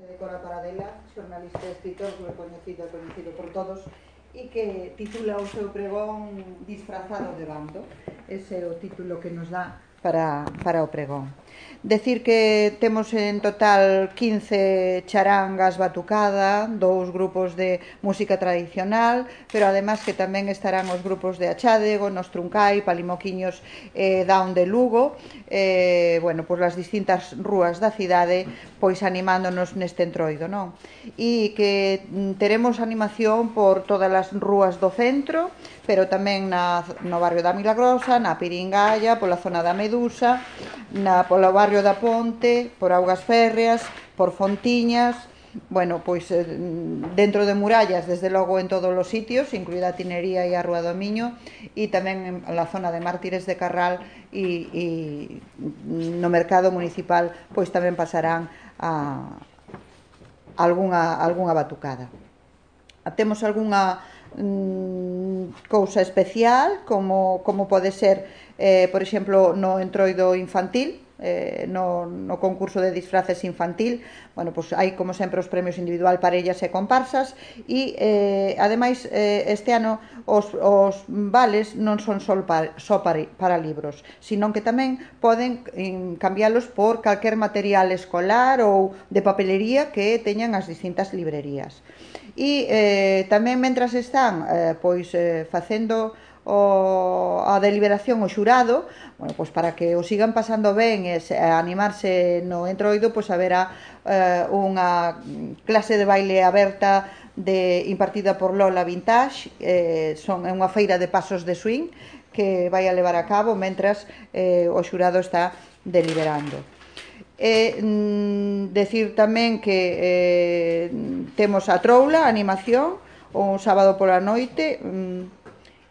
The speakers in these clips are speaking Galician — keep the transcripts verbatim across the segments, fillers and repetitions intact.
de Cora Paradela, xornalista e escritor recoñecido e coñecido por todos, e que titula o seu pregón Disfrazado de bando. Ese é o título que nos dá para, para o pregón. Decir que temos en total quince charangas batucada, dous grupos de música tradicional, pero además que tamén estarán os grupos de Achádego, Nos Truncai, Palimoquiños e Daun de Lugo, eh, bueno, por as distintas rúas da cidade, pois animándonos neste entroido, non? E que teremos animación por todas as rúas do centro, pero tamén na, no barrio da Milagrosa, na Piringalla, pola zona da Medusa, na, polo barrio da Ponte, por Augas Férreas, por Fontiñas, bueno, pois dentro de murallas, desde logo en todos os sitios, incluída a Tinería e a Rúa do Miño, e tamén en la zona de Mártires de Carral e, e no mercado municipal, pois tamén pasarán a algunha, algunha batucada. Temos algunha mm, cousa especial, como, como pode ser, eh, por exemplo, no entroido infantil, eh, no, no concurso de disfraces infantil. Bueno, pues hai como sempre os premios individual, parellas e comparsas, e eh, ademais eh, este ano os, os vales non son só para, só para, para libros, sino que tamén poden eh, cambialos por calquer material escolar ou de papelería que teñan as distintas librerías. E eh, tamén mentras están eh, pois eh, facendo o, a deliberación o xurado, bueno, pois para que o sigan pasando ben e se, animarse no entroido, pois haberá eh, unha clase de baile aberta de, impartida por Lola Vintage, eh, son unha feira de pasos de swing que vai a levar a cabo mentras eh, o xurado está deliberando. E mm, decir tamén que eh, temos a troula, a animación, o sábado pola noite, mm,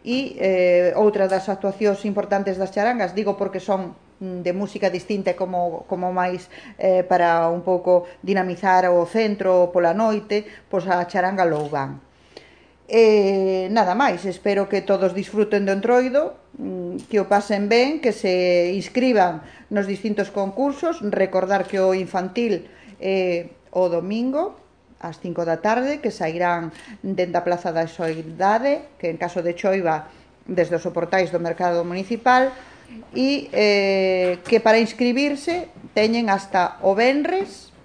e eh, outra das actuacións importantes das charangas, digo porque son de música distinta, como, como máis eh, para un pouco dinamizar o centro pola noite, pois a charanga Loubán. E nada máis, espero que todos disfruten do entroido, que o pasen ben, que se inscriban nos distintos concursos. Recordar que o infantil é o domingo ás cinco da tarde, que sairán dende a Plaza da Soidade, que en caso de choiva desde os soportais do mercado municipal, e eh, que para inscribirse teñen hasta o venres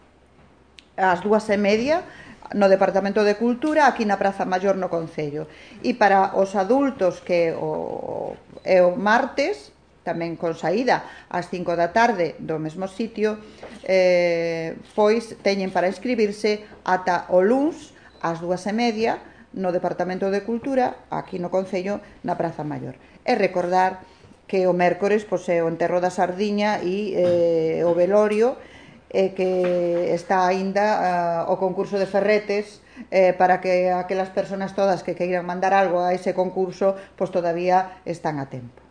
ás dúas e media no Departamento de Cultura, aquí na Praza Maior no Concello. E para os adultos, que o, é o martes, tamén con saída ás cinco da tarde do mesmo sitio, eh, pois teñen para inscribirse ata o luns ás dúas e media no Departamento de Cultura, aquí no Concello, na Praza Maior. E recordar que o mércores pois, é o enterro da sardiña e eh, o velorio, e que está aínda uh, o concurso de ferretes, eh, para que aquelas persoas todas que queiran mandar algo a ese concurso, pois todavía están a tempo.